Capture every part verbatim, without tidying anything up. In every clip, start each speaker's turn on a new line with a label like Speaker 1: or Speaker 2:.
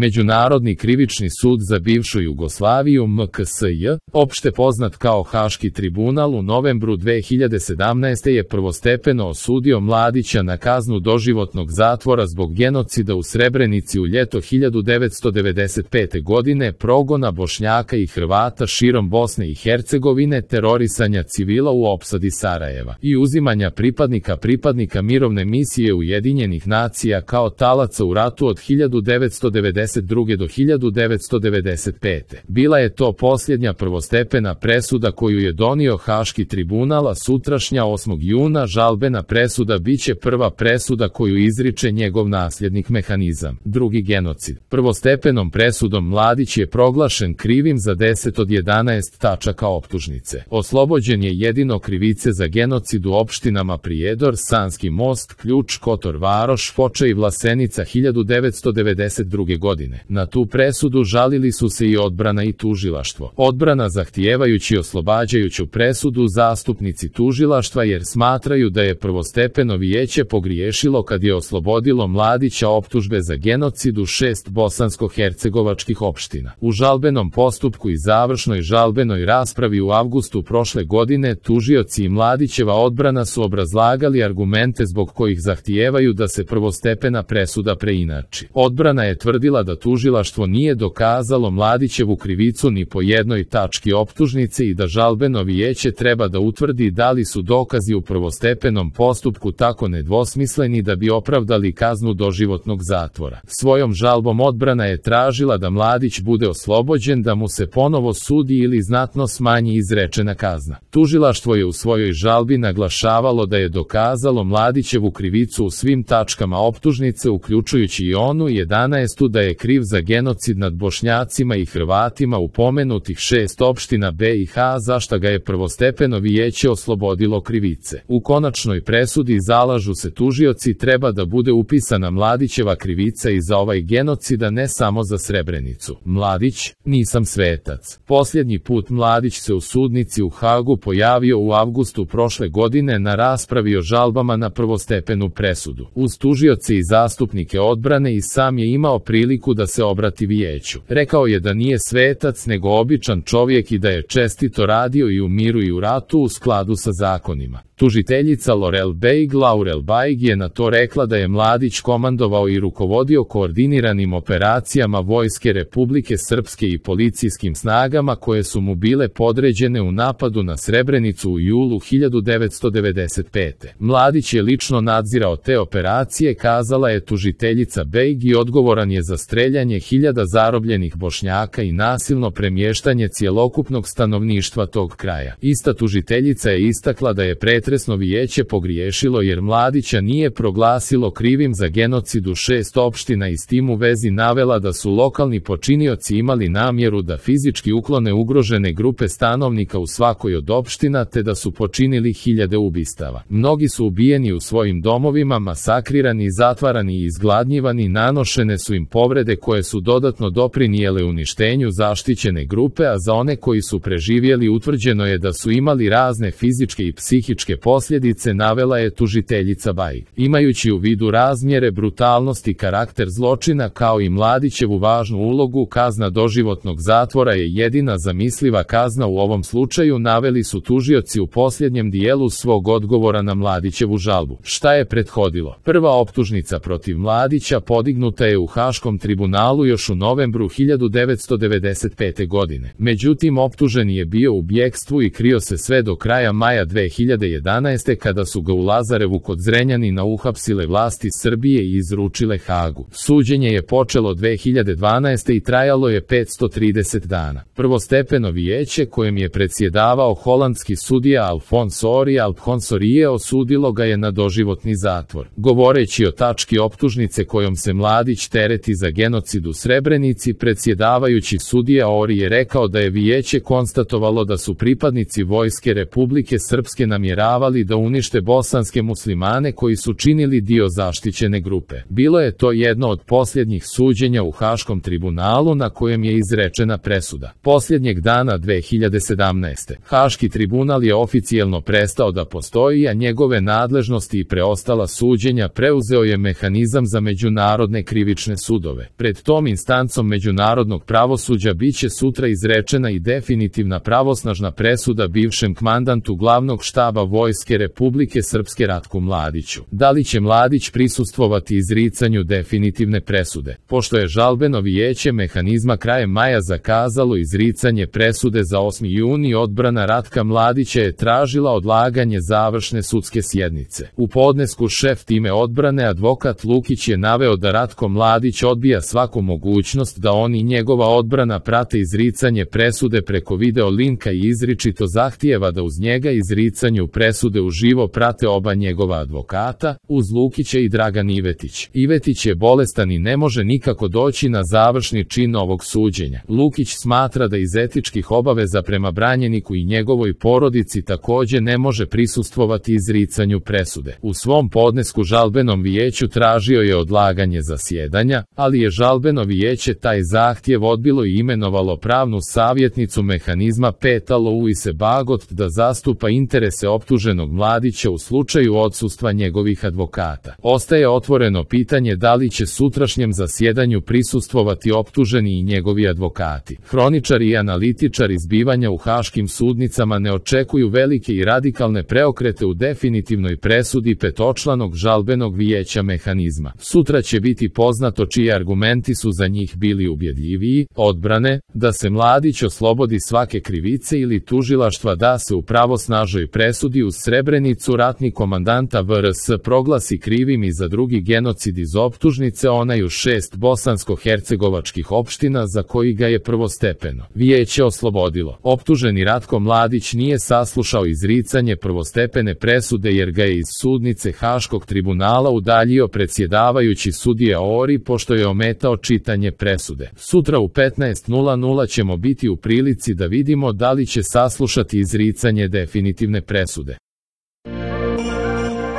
Speaker 1: Međunarodni krivični sud za bivšu Jugoslaviju M K S J, opšte poznat kao Haški tribunal, u novembru dve hiljade sedamnaeste. je prvostepeno osudio Mladića na kaznu doživotnog zatvora zbog genocida u Srebrenici u ljeto hiljadu devetsto devedeset pete. godine, progona Bošnjaka i Hrvata širom Bosne i Hercegovine, terorisanja civila u opsadi Sarajeva i uzimanja pripadnika pripadnika mirovne misije Ujedinjenih nacija kao talaca u ratu od hiljadu devetsto devedeset druge. do hiljadu devetsto devedeset pete. Bila je to posljednja prvostepena presuda koju je donio Haški tribunal, a sutrašnja osmog juna žalbena presuda biće prva presuda koju izriče njegov nasljednik Mehanizam. Drugi genocid. Prvostepenom presudom Mladić je proglašen krivim za deset od jedanaest tačaka optužnice. Oslobođen je jedino krivice za genocid u opštinama Prijedor, Sanski Most, Ključ, Kotor Varoš, Foča i Vlasenica hiljadu devetsto devedeset druge. godine. Na tu presudu žalili su se i odbrana i tužilaštvo. Odbrana zahtijevajući oslobađajuću presudu, zastupnici tužilaštva jer smatraju da je prvostepeno vijeće pogriješilo kad je oslobodilo Mladića optužbe za genocid u šest bosansko-hercegovačkih opština. U žalbenom postupku i završnoj žalbenoj raspravi u avgustu prošle godine tužioci i Mladićeva odbrana su obrazlagali argumente zbog kojih zahtijevaju da se prvostepena presuda preinači. Odbrana je tvrdila da tužilaštvo nije dokazalo Mladićevu krivicu ni po jednoj tački optužnice i da žalbeno vijeće treba da utvrdi da li su dokazi u prvostepenom postupku tako nedvosmisleni da bi opravdali kaznu doživotnog zatvora. Svojom žalbom odbrana je tražila da Mladić bude oslobođen, da mu se ponovo sudi ili znatno smanji izrečena kazna. Tužilaštvo je u svojoj žalbi naglašavalo da je dokazalo Mladićevu krivicu u svim tačkama optužnice, uključujući i onu jedanaestu da je kriv za genocid nad Bošnjacima i Hrvatima u pomenutih šest opština B i H, za šta ga je prvostepeno vijeće oslobodilo krivice. U konačnoj presudi zalažu se tužioci treba da bude upisana Mladićeva krivica i za ovaj genocid, a ne samo za Srebrenicu. Mladić, nisam svetac. Posljednji put Mladić se u sudnici u Hagu pojavio u avgustu prošle godine na raspravi o žalbama na prvostepenu presudu. Uz tužioce i zastupnike odbrane i sam je imao priliku da se obrati vijeću. Rekao je da nije svetac nego običan čovjek i da je čestito radio i u miru i u ratu u skladu sa zakonima. Tužiteljica Lorel Bejg Laurel Bajg je na to rekla da je Mladić komandovao i rukovodio koordiniranim operacijama Vojske Republike Srpske i policijskim snagama koje su mu bile podređene u napadu na Srebrenicu u julu hiljadu devetsto devedeset pete. Mladić je lično nadzirao te operacije, kazala je tužiteljica Bejg, i odgovoran je za streljanje hiljada zarobljenih Bošnjaka i nasilno premještanje cjelokupnog stanovništva tog kraja. Ista tužiteljica je istakla da je pretresno vijeće pogriješilo jer Mladića nije proglasilo krivim za genocid u šest opština i s tim u vezi navela da su lokalni počinioci imali namjeru da fizički uklone ugrožene grupe stanovnika u svakoj od opština te da su počinili hiljade ubistava. Mnogi su ubijeni u svojim domovima, masakrirani, zatvarani i izgladnjivani, nanošene su im povrede koje su dodatno doprinijele uništenju zaštićene grupe, a za one koji su preživjeli utvrđeno je da su imali razne fizičke i psihičke posljedice, navela je tužiteljica Bajg. Imajući u vidu razmjere, brutalnost i karakter zločina kao i Mladićevu važnu ulogu, kazna doživotnog zatvora je jedina zamisliva kazna u ovom slučaju, naveli su tužioci u posljednjem dijelu svog odgovora na Mladićevu žalbu. Šta je prethodilo? Prva optužnica protiv Mladića podignuta je u Haškom tribunalu još u novembru hiljadu devetsto devedeset pete. godine. Međutim, optuženi je bio u bjekstvu i krio se sve do kraja maja dve hiljade jedanaeste. kada su ga u Lazarevu kod Zrenjanina uhapsile vlasti Srbije i izručile Hagu. Suđenje je počelo dve hiljade dvanaeste. i trajalo je petsto trideset dana. Prvostepeno vijeće, kojem je predsjedavao holandski sudija Alfons Ori Alphonsorije, osudilo ga je na doživotni zatvor. Govoreći o tački optužnice kojom se Mladić tereti za genocid u Srebrenici, predsjedavajući sudija Ori je rekao da je vijeće konstatovalo da su pripadnici Vojske Republike Srpske namjeravali pokušavali da unište bosanske muslimane koji su činili dio zaštićene grupe. Bilo je to jedno od posljednjih suđenja u Haškom tribunalu na kojem je izrečena presuda. Posljednjeg dana dve hiljade sedamnaeste. Haški tribunal je oficijelno prestao da postoji, a njegove nadležnosti i preostala suđenja preuzeo je mehanizam za međunarodne krivične sudove. Pred tom instancom međunarodnog pravosuđa biće sutra izrečena i definitivna pravosnažna presuda bivšem komandantu glavnog štaba Vojske Republike Srpske Ratku Mladiću. Da li će Mladić prisustvovati izricanju definitivne presude? Pošto je žalbeno vijeće mehanizma krajem maja zakazalo izricanje presude za osmi juni, odbrana Ratka Mladića je tražila odlaganje završne sudske sjednice. U podnesku šef time odbrane advokat Lukić je naveo da Ratko Mladić odbija svaku mogućnost da on i njegova odbrana prate izricanje presude preko video linka i izričito zahtijeva da uz njega izricanju presude uživo prate oba njegova advokata, uz Lukića i Dragan Ivetić. Ivetić je bolestan i ne može nikako doći na završni čin ovog suđenja. Lukić smatra da iz etičkih obaveza prema branjeniku i njegovoj porodici također ne može prisustvovati izricanju presude. U svom podnesku žalbenom vijeću tražio je odlaganje zasjedanja, ali je žalbeno vijeće taj zahtjev odbilo i imenovalo pravnu savjetnicu mehanizma Peta Louise Bagot da zastupa interese optuženog Mladića u slučaju odsustva njegovih advokata. Ostaje otvoreno pitanje da li će sutrašnjem zasjedanju prisustvovati optuženi i njegovi advokati. Hroničari i analitičari zbivanja u haškim sudnicama ne očekuju velike i radikalne preokrete u definitivnoj presudi petočlanog žalbenog vijeća mehanizma. Sutra će biti poznato čiji argumenti su za njih bili ubjedljiviji, odbrane, da se Mladić oslobodi svake krivice ili tužilaštva da se u pravosnažnoj presudi uz Srebrenicu ratni komandanta V R S proglasi krivim i za drugi genocid iz optužnice onaj u šest bosansko-hercegovačkih opština za koji ga je prvostepeno vijeće oslobodilo. Optuženi Ratko Mladić nije saslušao izricanje prvostepene presude jer ga je iz sudnice Haškog tribunala udaljio predsjedavajući sudija Ori pošto je ometao čitanje presude. Sutra u petnaest nula nula ćemo biti u prilici da vidimo da li će saslušati izricanje definitivne presude.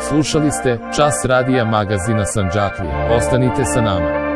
Speaker 1: Slušali ste Čas radija magazina Sandžaklije. Ostanite sa nama.